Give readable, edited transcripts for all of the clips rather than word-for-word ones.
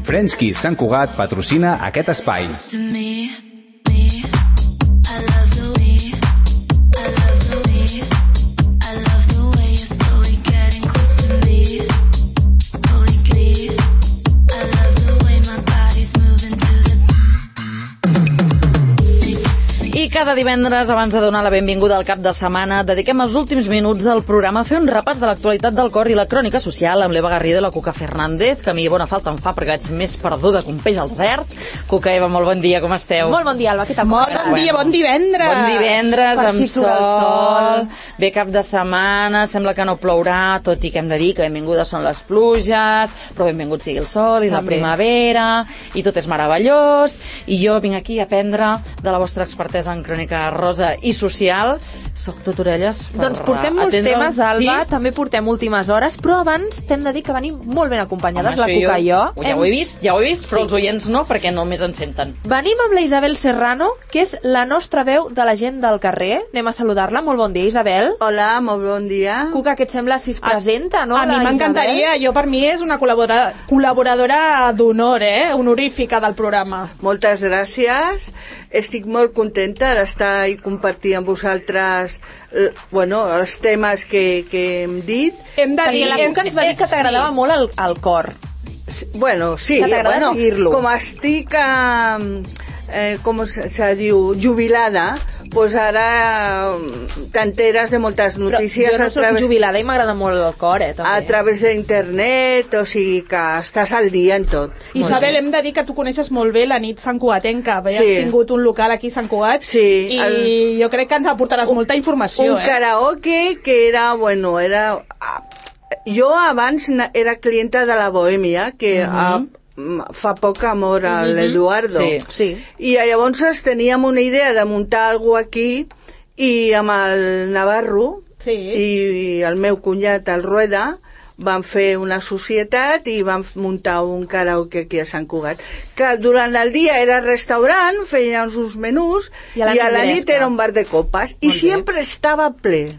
Frenchky Sant Cugat patrocina aquest espai. I cada divendres, abans de donar la benvinguda al cap de setmana, dediquem els últims minuts del programa a fer un repàs de l'actualitat del cor i la crònica social amb l'Eva Garrido i la Cuca Fernández, que a mi bona falta em fa perquè vaig més perduda que un peix al desert. Cuca, Eva, molt bon dia, com esteu? Molt bon dia, Alba, què tal? Bon dia, bon divendres. Bon divendres, Per amb fi surt el sol. Bé cap de setmana, sembla que no plourà, tot i que hem de dir que benvingudes són les pluges, però benvingut sigui el sol i la primavera, i tot és meravellós, i jo vinc aquí a aprendre de la vostra expertesa en crònica rosa i social. Soc tot orelles. Doncs portem molts temes, Alba, també portem últimes hores, però abans t'hem de dir que venim molt ben acompanyades, la Cuca i jo. Ja ho he vist, però els oients no, perquè només ens senten. Venim amb la Isabel Serrano, que és la nostra veu de la gent del carrer. Anem a saludar-la. Molt bon dia, Isabel. Hola, molt bon dia. Cuca, què et sembla si es presenta, no? A mi m'encantaria. Jo, per mi, és una col·laboradora d'honor, honorífica del programa. Moltes gràcies. Estic molt contenta d'estar i compartir amb vosaltres els temes que hem dit. Hem de dir... Perquè la Cuca ens va dir que t'agradava molt el cor. Bueno, sí. Que t'agrada seguir-lo. Com estic... com se diu, jubilada, doncs ara t'enteres de moltes notícies. Però jo no soc jubilada i m'agrada molt el cor, també. A través d'internet, o sigui que estàs al dia en tot. Isabel, hem de dir que tu coneixes molt bé la nit santcugatenca. Has tingut un local aquí a Sant Cugat, i jo crec que ens aportaràs molta informació. Un karaoke que era, jo abans era clienta de la Bohèmia, que fa poc amor a l'Eduardo. Sí. I llavors teníem una idea de muntar alguna cosa aquí, i amb el Navarro i el meu cunyat, el Rueda, van fer una societat i van muntar un karaoke aquí a Sant Cugat, que durant el dia era restaurant, feien uns menús, i a la nit era un bar de copes, i sempre estava ple.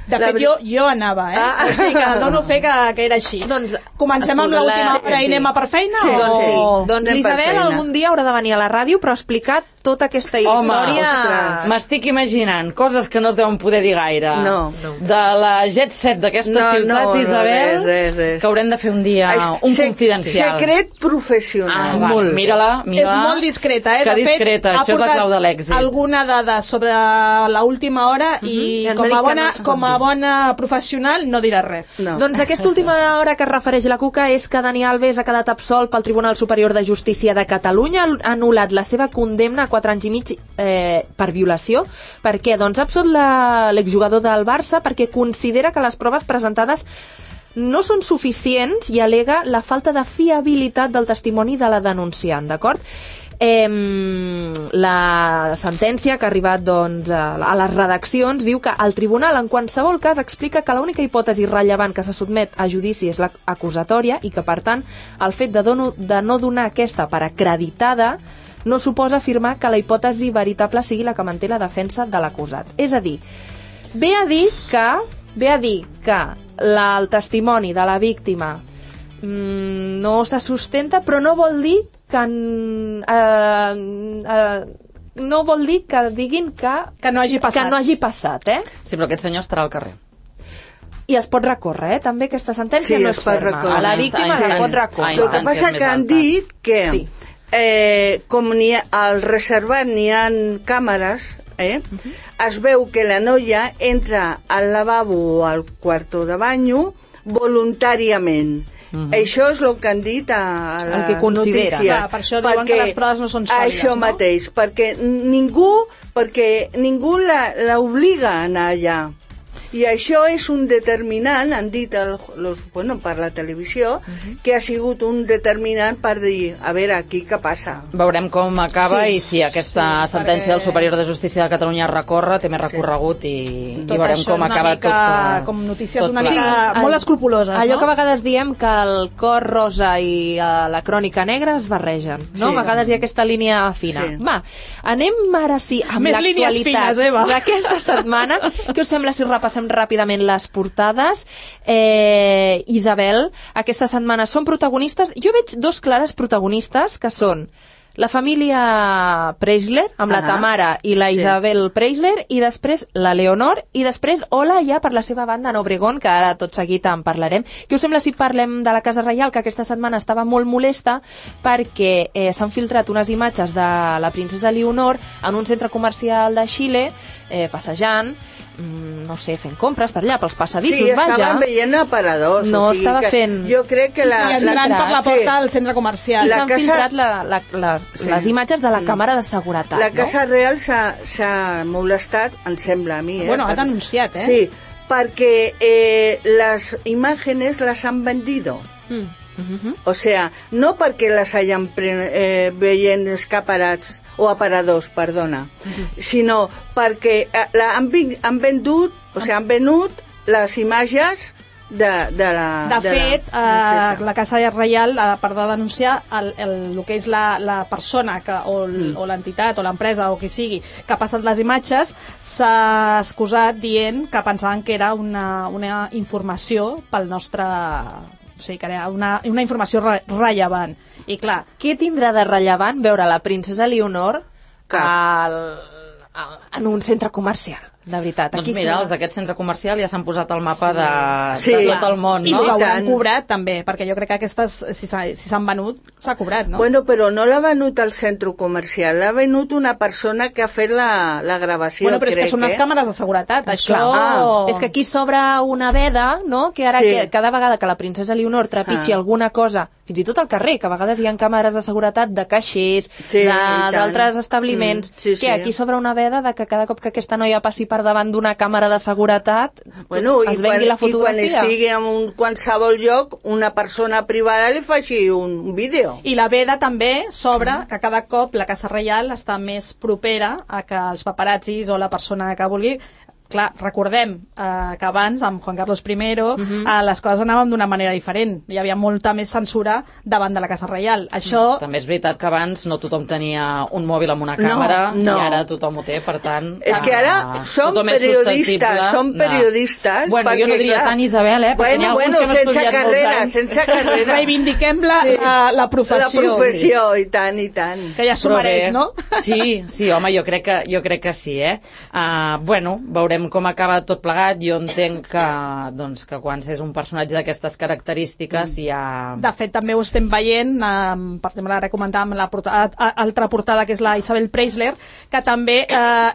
De fet, jo anava, o sigui que dono fe que era així. Doncs, comencem amb l'última hora i anem a per feina? Doncs sí. Doncs l'Isabel algun dia haurà de venir a la ràdio però explicar tota aquesta història. M'estic imaginant coses que no es deuen poder dir gaire. No. De la jet set d'aquesta ciutat, Isabel, res. que haurem de fer un dia un confidencial. Secret professional. Mira-la. És molt discreta, Que discreta, això és la clau de l'èxit. Alguna dada sobre l'última hora i com a bona professional no dirà res. Doncs aquesta última hora que es refereix la Cuca és que Dani Alves ha quedat absolt pel Tribunal Superior de Justícia de Catalunya, ha anul·lat la seva condemna a 4 anys i mig per violació. Per què? Doncs ha absolt l'exjugador del Barça perquè considera que les proves presentades no són suficients i al·lega la falta de fiabilitat del testimoni de la denunciant, d'acord? La sentència que ha arribat a les redaccions diu que el tribunal en qualsevol cas explica que l'única hipòtesi rellevant que se sotmet a judici és l'acusatòria i que per tant el fet de no donar aquesta per acreditada no suposa afirmar que la hipòtesi veritable sigui la que manté la defensa de l'acusat. És a dir, ve a dir que el testimoni de la víctima no se sustenta, però no vol dir que diguin que no hagi passat, Sí, però aquest senyor estarà al carrer. I es pot recórrer, també aquesta sentència no és ferma. A la víctima es pot recórrer. El que passa que han dit que com al reservat n'hi ha càmeres, es veu que la noia entra al lavabo o al quarto de banyo voluntàriament. Això és el que han dit a la notícia. Clar, per això diuen que les proves no són sòlides. Això mateix, perquè ningú l'obliga a anar allà. I això és un determinant, han dit per la televisió, que ha sigut un determinant per dir, a veure, aquí què passa. Veurem com acaba i si aquesta sentència del Superior de Justícia de Catalunya recorre, té més recorregut i veurem com acaba tot. Com notícies una mica molt escrupuloses. Allò que a vegades diem que el cor rosa i la crònica negra es barregen, no? A vegades hi ha aquesta línia fina. Va, anem ara sí amb l'actualitat d'aquesta setmana. Què us sembla si us repassem repassem ràpidament les portades. Isabel, aquesta setmana són protagonistes. Jo veig dos clares protagonistes, que són la família Preisler, amb la Tamara i la Isabel Preisler, i després la Leonor, i després Ola ja per la seva banda en Obregón, que ara tot seguit en parlarem. Què us sembla si parlem de la Casa Reial, que aquesta setmana estava molt molesta perquè s'han filtrat unes imatges de la princesa Leonor en un centre comercial de Xile, passejant, no sé, fent compres per allà, pels passadissos, vaja. Sí, estaven veient aparadors. No, estava fent... Jo crec que la... I entrant per la porta del centre comercial. I s'han filtrat les imatges de la càmera de seguretat, La Casa Real s'ha molestat, em sembla a mi. Bueno, ha denunciat, Sí, perquè les imágenes las han vendido. O sea, no perquè les hayan veient escaparats o aparadors, perdona, sinó perquè han venut les imatges de la... De fet, la Casa Reial, per denunciar el que és la persona o l'entitat o l'empresa o qui sigui que ha passat les imatges, s'ha excusat dient que pensaven que era una informació pel nostre... O sigui, que era una informació rellevant. I clar... Què tindrà de rellevant veure la princesa Leonor en un centre comercial? De veritat. Doncs mira, els d'aquest centre comercial ja s'han posat al mapa de tot el món, no? I que hauran cobrat també, perquè jo crec que aquestes, si s'han venut, s'ha cobrat, no? Bueno, però no l'ha venut el centre comercial, l'ha venut una persona que ha fet la gravació, bueno, però és que són unes càmeres de seguretat, això... És que aquí s'obre una veda, no?, que ara cada vegada que la princesa Leonor trepitgi alguna cosa, fins i tot al carrer, que a vegades hi ha càmeres de seguretat de caixers, d'altres establiments, que aquí s'obre una veda de que cada cop que aquesta noia passi per davant d'una càmera de seguretat es vengui la fotografia. I quan estigui en qualsevol lloc, una persona privada li faci un vídeo. I la veda també s'obre que cada cop la Casa Reial està més propera a que els paparazzis o la persona que vulgui... Clar, recordem que abans, amb Juan Carlos I, les coses anaven d'una manera diferent. Hi havia molta més censura davant de la Casa Reial. Això... També és veritat que abans no tothom tenia un mòbil amb una càmera i ara tothom ho té, per tant... És que ara som periodistes... Bueno, jo no diria tant, Isabel, perquè n'hi ha alguns que hem estudiat molts anys. Sense carrera. Reivindiquem la professió. La professió, i tant, i tant. Que ja s'ho mereix, no? Sí, home, jo crec que sí, Bueno, veurem com acaba tot plegat. Jo entenc que quan és un personatge d'aquestes característiques ja... De fet, també ho estem veient, per exemple, ara comentàvem l'altra portada, que és la Isabel Preisler, que també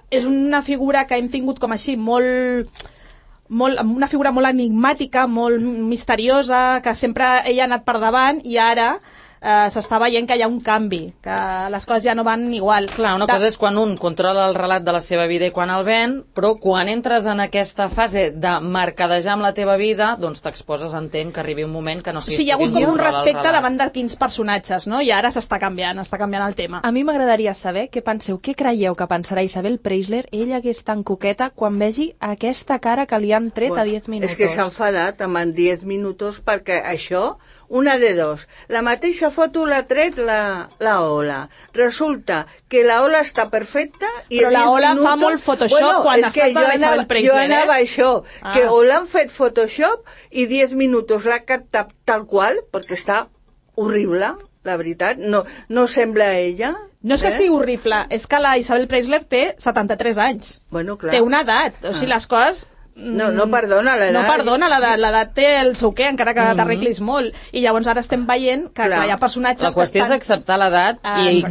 és una figura que hem tingut com així una figura molt enigmàtica, molt misteriosa, que sempre ella ha anat per davant, i ara s'està veient que hi ha un canvi, que les coses ja no van igual. Clar, una cosa és quan un controla el relat de la seva vida i quan el ven, però quan entres en aquesta fase de mercadejar amb la teva vida, doncs t'exposes, entenc, que arribi un moment que no siguis... Sí, hi ha hagut com un respecte davant de quins personatges, no? I ara s'està canviant el tema. A mi m'agradaria saber què penseu, què creieu que pensarà Isabel Preisler, ella que és tan coqueta, quan vegi aquesta cara que li han tret a 10 minuts. És que s'ha enfadat amb 10 minuts perquè això... Una de dos. La mateixa foto l'ha tret la Ola. Resulta que la Ola està perfecta i... Però la Ola fa molt Photoshop quan està de Isabel Preisler, Jo anava això, que o l'han fet Photoshop i 10 minuts l'ha captat tal qual, perquè està horrible, la veritat. No sembla ella. No és que estigui horrible, és que la Isabel Preisler té 73 anys. Bueno, clar. Té una edat, o sigui, les coses... No perdona l'edat. No perdona l'edat, té el seu què, encara que t'arreglis molt. I llavors ara estem veient que hi ha personatges... La qüestió és acceptar l'edat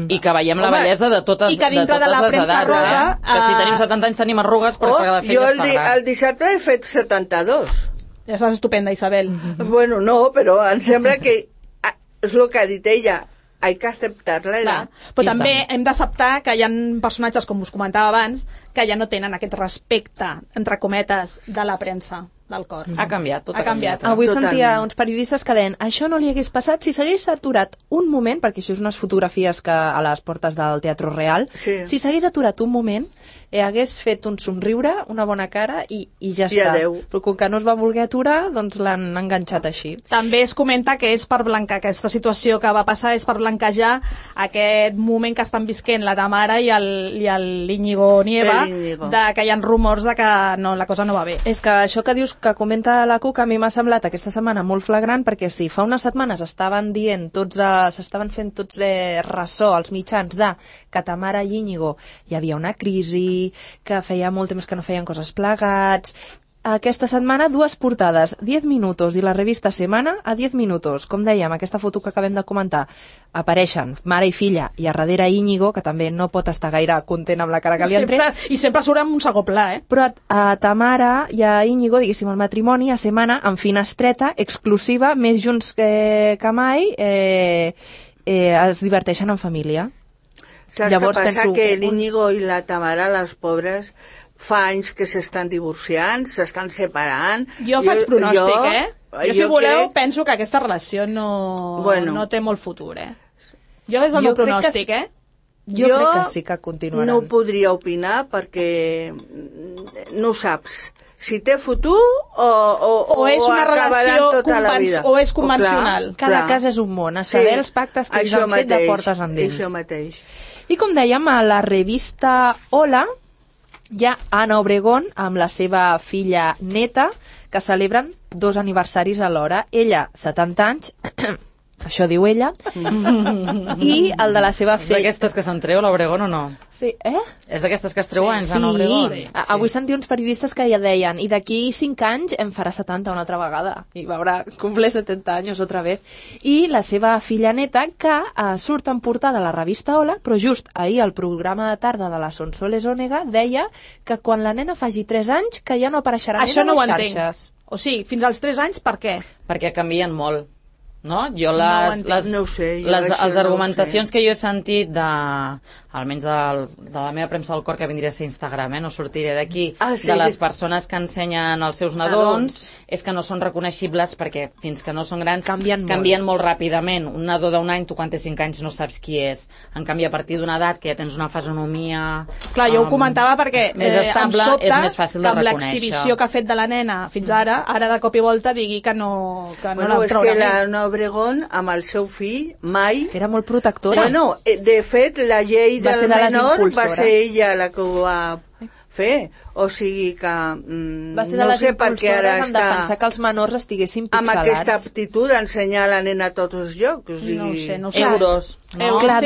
i que veiem la bellesa de totes les edats. Que si tenim 70 anys tenim arrugues perquè la feina es fa gran. Jo el dissabte he fet 72. Ja estàs estupenda, Isabel. Bueno, no, però em sembla que és el que ha dit ella. Hay que acceptar-la. Però també hem d'acceptar que hi ha personatges, com us comentava abans, que ja no tenen aquest respecte, entre cometes, de la premsa, del cor. Ha canviat, tot ha canviat. Avui sentia uns periodistes que deien això no li hagués passat si s'hagués aturat un moment, perquè això és unes fotografies que a les portes del Teatro Real, si s'hagués aturat un moment, hagués fet un somriure, una bona cara i ja està. Però com que no es va voler aturar, doncs l'han enganxat així. També es comenta que és per blancar, aquesta situació que va passar és per blanquejar aquest moment que estan visquent la Tamara i l'Íñigo Nieva, que hi ha rumors de que la cosa no va bé. És que això que dius, que comenta la Cuca, a mi m'ha semblat aquesta setmana molt flagrant, perquè sí, fa unes setmanes estaven dient, s'estaven fent tots ressò als mitjans de que Tamara i Íñigo hi havia una crisi, que feia molt temps que no feien coses plegats. Aquesta setmana, 2 portades, 10 minutos, i la revista Semana a 10 minutos. Com dèiem, aquesta foto que acabem de comentar, apareixen mare i filla, i a darrere Íñigo, que també no pot estar gaire content amb la cara que li han tret. I sempre surt amb un segon pla, Però a Tamara i a Íñigo, diguéssim, el matrimoni, a Semana, en finestreta, exclusiva, més junts que mai, es diverteixen en família. Saps què passa? Que l'Íñigo i la Tamara, les pobres, fa anys que s'estan divorciant, s'estan separant. Jo faig pronòstic, Jo, si voleu, penso que aquesta relació no té molt futur, Jo és el meu pronòstic, Jo crec que sí que continuaran. No ho podria opinar perquè no ho saps. Si té futur o és una relació o és convencional. Cada cas és un món, a saber els pactes que ells han fet de portes endins. Això mateix. I com dèiem, a la revista Hola hi ha Ana Obregón amb la seva filla neta, que celebren 2 aniversaris alhora. Ella, 70 anys, això diu ella, i el de la seva filla... És d'aquestes que se'n treu l'Obregón o no? Sí, És d'aquestes que es treu anys, Ana Obregón? Sí. Avui sentia uns periodistes que ja deien i d'aquí 5 anys em farà 70 una altra vegada, i veurà cumple 70 anys otra vez. I la seva filla neta, que surt en portada a la revista Hola, però just ahir al programa de tarda de la Sonsoles Ònega deia que quan la nena faci 3 anys que ja no apareixerà més a les xarxes. O sigui, fins als 3 anys, per què? Perquè canvien molt. No? Jo les argumentacions que jo he sentit almenys de la meva premsa del cor, que vindria a ser Instagram, no sortiré d'aquí, de les persones que ensenyen els seus nadons, és que no són reconeixibles perquè fins que no són grans canvien molt ràpidament. Un nadó d'un any, tu quan té 5 anys no saps qui és. En canvi, a partir d'una edat que ja tens una fisonomia clar, jo ho comentava perquè més estable, és més fàcil de reconèixer. Amb l'exhibició que ha fet de la nena fins ara de cop i volta digui que no la traurà més. Ana Obregón, amb el seu fill, mai... Era molt protectora. Bueno, de fet, la llei del menor va ser ella la que ho va fer. O sigui que... va ser de les impulsores en defensar que els menors estiguessin pixelats. Amb aquesta aptitud d'ensenyar la nena a tots els llocs. O sigui... No sé. Euros. No? Clar,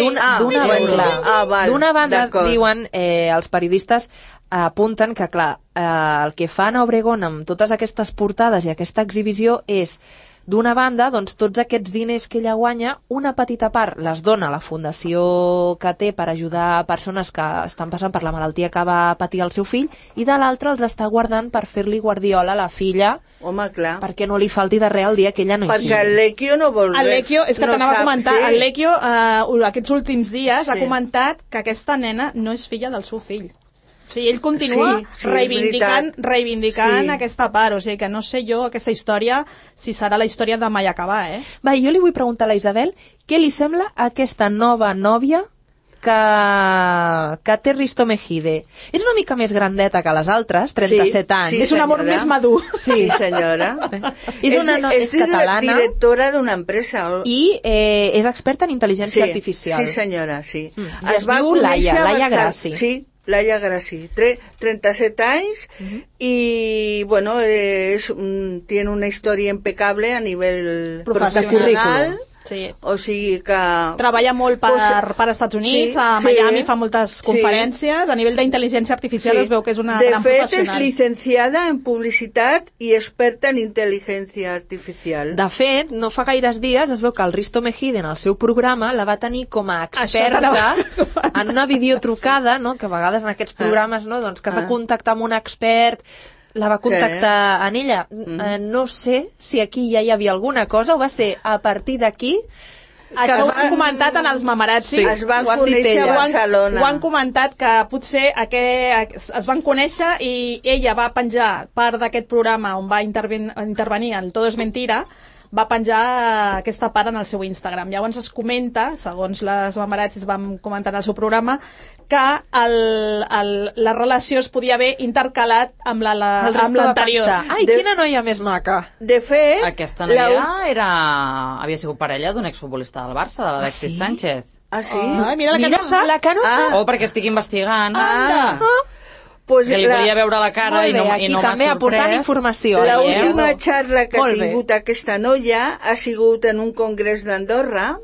d'una banda diuen els periodistes apunten que, clar, el que fa Ana Obregón amb totes aquestes portades i aquesta exhibició és, d'una banda, doncs, tots aquests diners que ella guanya, una petita part les dona a la fundació que té per ajudar persones que estan passant per la malaltia que va patir el seu fill, i de l'altra els està guardant per fer-li guardiola a la filla. Home, clar. Perquè no li falti de res el dia que ella no hi sigui. Perquè el Lecchio no vol res. El Lecchio, és que t'anava a comentar, el Lecchio aquests últims dies ha comentat que aquesta nena no és filla del seu fill. O sigui, ell continua reivindicant aquesta part, o sigui que no sé jo aquesta història si serà la història de mai acabar, Va, jo li vull preguntar a la Isabel què li sembla aquesta nova nòvia que té Risto Mejide. És una mica més grandeta que les altres, 37 anys. És un amor més madur. Sí, senyora. És catalana. És directora d'una empresa. I és experta en intel·ligència artificial. Sí, senyora, sí. Es diu Laia Grassi. Sí, Laia Grassi, 37 anys y bueno, tiene una historia impecable a nivel professional. Sí. O sigui que... Treballa molt per Estats Units, a Miami fa moltes conferències, a nivell d'intel·ligència artificial es veu que és una gran professional. De fet, és llicenciada en publicitat i experta en intel·ligència artificial. De fet, no fa gaires dies es veu que el Risto Mejide en el seu programa la va tenir com a experta en una videotrucada, no? Que a vegades en aquests programes, no? Doncs que has de contactar amb un expert, la va contactar en ella. No sé si aquí ja hi havia alguna cosa o va ser a partir d'aquí Això ho han comentat en els Mamarazzi. Es van conèixer a Barcelona. Ho han comentat que potser es van conèixer i ella va penjar part d'aquest programa on va intervenir en Todo es Mentira, va penjar aquesta part en el seu Instagram. Llavors es comenta, segons les Mamarazzi van comentar en el seu programa, que la relació es podia haver intercalat amb l'anterior. Ai, quina noia més maca. De fet... Aquesta noia havia sigut parella d'un exfutbolista del Barça, de l'Alexis Sánchez. Ah, sí? Mira la que no sap. La que no sap. Perquè estic investigant. Pues que li podia veure la cara i no m'ha sorprès. També aportant informació. L'última xarra que ha tingut aquesta noia ha sigut en un congrés d'Andorra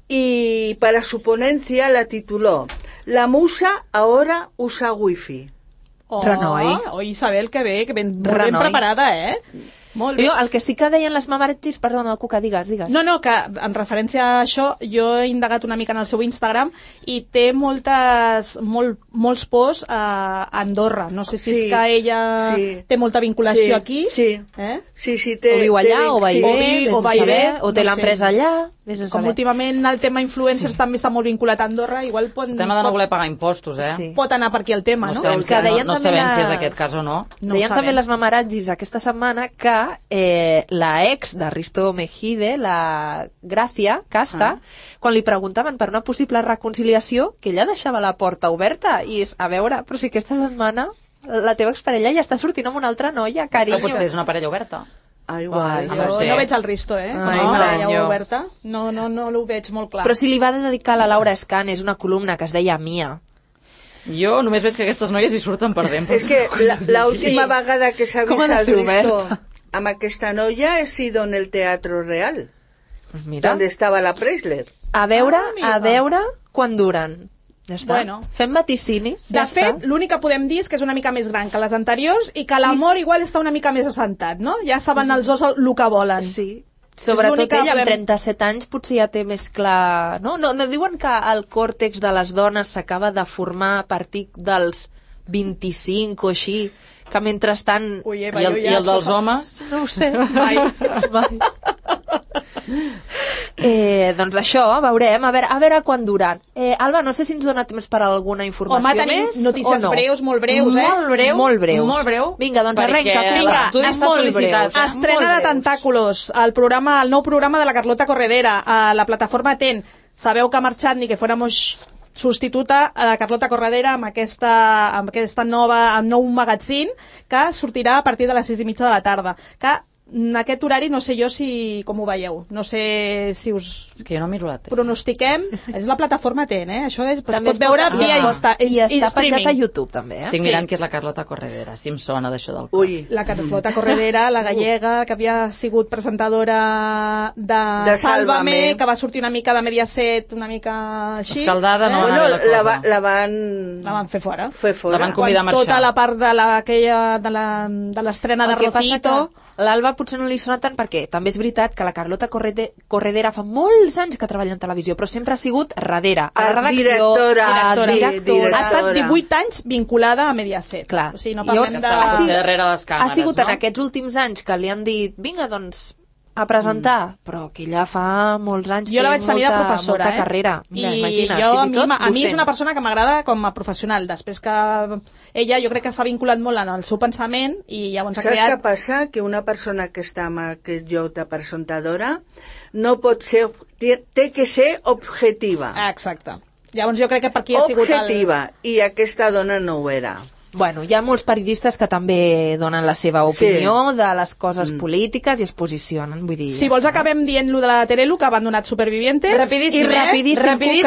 y para su ponencia la tituló La musa ahora usa wifi. Renoi, Isabel, que bé, que ben preparada, Molt bé. Jo, el que sí que deien les Mamarazzi, perdona, Cuca, digues. No, que en referència a això, jo he indagat una mica en el seu Instagram i té molts posts a Andorra. No sé si és que ella té molta vinculació aquí. Sí, té. O viu allà, o va i ve, o té l'empresa allà. Com últimament el tema influencers també està molt vinculat a Andorra, igual el tema de no voler pagar impostos, pot anar per aquí el tema, no? No sabem si és aquest cas o no. Deien també les Mamarazzi aquesta setmana que la ex de Risto Mejide, la Gràcia Casta, quan li preguntaven per una possible reconciliació, que ella deixava la porta oberta i és, a veure, però si aquesta setmana la teva exparella ja està sortint amb una altra noia, carinyo. És que potser és una parella oberta. Igual. No veig el Risto, com a parella oberta. No ho veig molt clar. Però si li va dedicar a la Laura Escanes una columna que es deia Mia. Jo només veig que aquestes noies hi surten perdent. És que l'última vegada que s'ha vist el Risto amb aquesta noia ha sido en el Teatro Real, donde estava la Preisler. A veure quan duren. Ja està. Fem vaticini. De fet, l'únic que podem dir és que és una mica més gran que les anteriors i que l'amor igual està una mica més assentat, no? Ja saben els dos el que volen. Sí. Sobretot ella, amb 37 anys, potser ja té més clar... No diuen que el còrtex de les dones s'acaba de formar a partir dels 25 o així, que mentrestant... I el dels homes? No ho sé. Mai. Doncs això, veurem, a veure quan duran. Alba, no sé si ens dona temps per alguna informació més o notícies breus, molt breus, Molt breus. Vinga, doncs arrenca. Vinga, estrena de Tentáculos, el nou programa de la Carlota Corredera a la plataforma TEN. Sabeu que ha marxat Ni que fuéramos substituta a la Carlota Corredera amb aquesta nou magazín que sortirà a partir de les 6:30 de la tarda, que en aquest horari no sé jo com ho veieu, no sé si us... És que jo no miro la tele. Pronostiquem, és la plataforma TEN, això es pot veure via i està penjat a YouTube també, Estic mirant que és la Carlota Corredera, si em sona d'això del cor. La Carlota Corredera, la gallega, que havia sigut presentadora de Sálvame, que va sortir una mica de Mediaset, una mica així. Escaldada, no? La van fer fora. La van convidar a marxar. Tota la part de l'estrena de Rocito. L'Alba potser no li sona tant perquè també és veritat que la Carlota Corredera fa molts anys que treballa en televisió, però sempre ha sigut darrere, a la redacció, directora. Ha estat 18 anys vinculada a Mediaset. Clar. O sigui, no parlem darrere les càmeres, ha sigut en aquests últims anys que li han dit, vinga, doncs, a presentar, però que ella fa molts anys jo la vaig tenir de professora, molta carrera. Mira, imagina't, a mi és una persona que m'agrada com a professional, després que ella jo crec que s'ha vinculat molt en el seu pensament i llavors ha creat... Saps què passa? Que una persona que està en aquest lloc de presentadora no pot ser... té que ser objectiva. Exacte. Llavors jo crec que per aquí ha sigut objectiva, i aquesta dona no ho era. Bueno, hi ha molts periodistes que també donen la seva opinió de les coses polítiques i es posicionen, vull dir... Si vols acabem dient lo de la Terelu, que ha abandonat Supervivientes. Rapidíssim.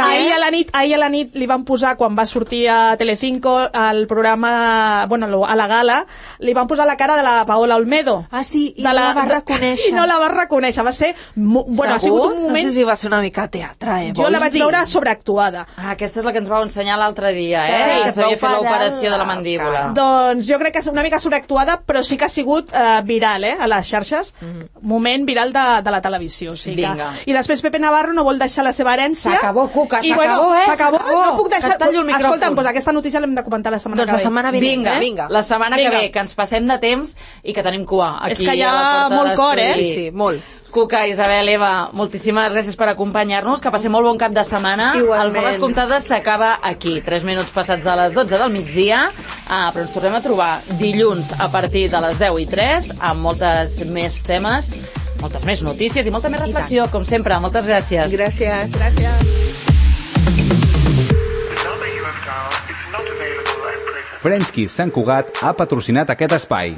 Ahir a la nit li van posar, quan va sortir a Telecinco, al programa, bueno, a la gala, li van posar la cara de la Paola Olmedo. Ah, sí, i no la va reconèixer. I no la va reconèixer, va ser... Bueno, ha sigut un moment... No sé si va ser una mica teatre, Jo la vaig veure sobreactuada. Aquesta és la que ens vau ensenyar l'altre dia, que s'havia fet l'operació de la mandíbula. Doncs jo crec que és una mica sobreactuada, però sí que ha sigut viral, a les xarxes, moment viral de la televisió. O sigui que... I després Pepe Navarro no vol deixar la seva herència. S'acabó, Cuca, s'acabó. No puc deixar... Escolta'm, doncs aquesta notícia l'hem de comentar la setmana que ve. Doncs la setmana vinent. Vinga, la setmana que ve, que ens passem de temps i que tenim cua aquí. És que hi ha molt cor, Sí, molt. Cuca, Isabel, Eva, moltíssimes gràcies per acompanyar-nos, que passem molt bon cap de setmana. Igualment. El Faves Comptades s'acaba aquí, 3 minuts passats de les 12 del migdia, però ens tornem a trobar dilluns a partir de les 10:03 amb moltes més temes, moltes més notícies i molta més reflexió, com sempre. Moltes gràcies. Gràcies. French Kiss Sant Cugat ha patrocinat aquest espai.